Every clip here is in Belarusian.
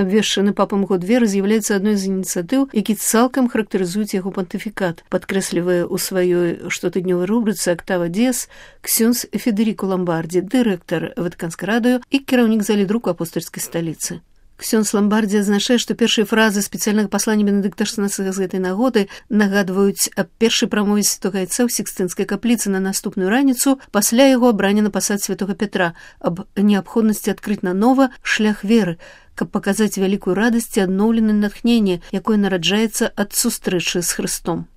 Абвешчаны папам год веры з'яўляецца адной з ініцыятыў, які цалкам характарызуюць яго пантыфікат, падкрэслівае ў сваёй штотыднёвай рубрыцы «Октава Диас» ксёндз Федерико Ламбарди, дырэктар Ватыканскай радыё і кіраўнік залі друку апостальскай сталіцы. Ксёндз Ламбарди адзначае, што першыя фразы спецыяльнага паслання Бенедыкта XVI з гэтай нагоды нагадваюць аб першай прамове святога Айца ў Сікстынскай капліцы на наступную раніцу пасля яго абрання на пасад святога Петра, аб неабходнасці адкрыць нанова шлях веры, каб паказаць вялікую радасць і адноўленае натхненне, якое нараджаецца ад сустрэчы з Хрыстом.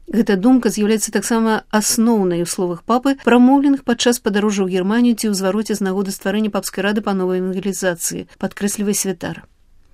Гэта думка з'яўляецца таксама асноўнай у словах папы, прамоўленых падчас падарожжа ў Германію ці ў звароце з нагоды стварэння папскай рады па новай евангелізацыі, падкрэслівае святар.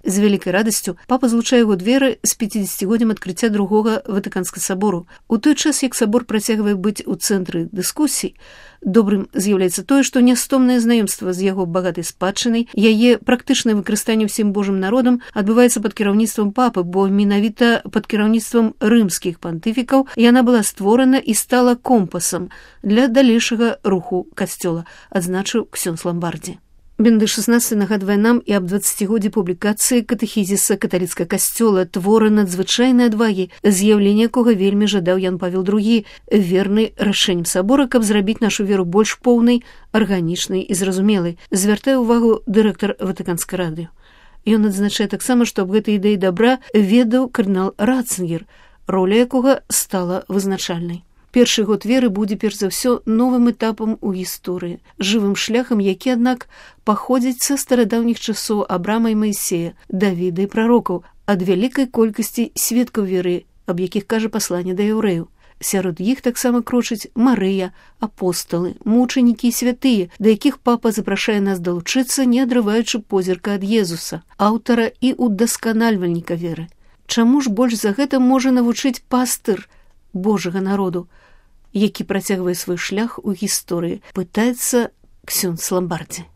З вялікай радасцю папа злучае год веры з 50-годдзям адкрыцця другога Ватыканскага сабору. У той час, як сабор працягвае быць у цэнтры дыскусій, добрым з'яўляецца тое, што нястомнае знаёмства з яго багатай спадчынай, яе практычнае выкарыстанне ўсім Божым народам адбываецца пад кіраўніцтвам папы, бо менавіта пад кіраўніцтвам рымскіх пантыфікаў яна была створана і стала компасам для далейшага руху касцёла, адзначыў ксёндз Ламбарди. Бенедыкт XVI нагадвае нам і аб 20-годдзі публікацыі катэхізіса каталіцкага касцёла, твора надзвычайнай адвагі, з'яўлення якога вельмі жадаў Ян Павел II, верны рашэннем сабора, каб зрабіць нашу веру больш поўнай, арганічнай і зразумелай, звяртае ўвагу дырэктар Ватыканскай радыё. Ён адзначае таксама, што аб гэтай ідэі дабра ведаў кардынал Ратцынгер, роля якога стала вызначальнай. Першы год веры будзе, перш за ўсё, новым этапам у гісторыі, жывым шляхам, які, аднак, паходзіць са старадаўніх часоў Абрама і Маісея, Давіда і прарокаў, ад вялікай колькасці сведкаў веры, аб якіх кажа пасланне да яўрэяў. Сярод іх таксама крочаць Марыя, апосталы, мучанікі і святыя, да якіх папа запрашае нас далучыцца, не адрываючы позірка ад Езуса, аўтара і удасканальвальніка веры. Чаму ж больш за гэта можа навучыць пастыр Божага народу, які працягвае свой шлях у гісторыі, пытаецца ксёндз Ламбарди.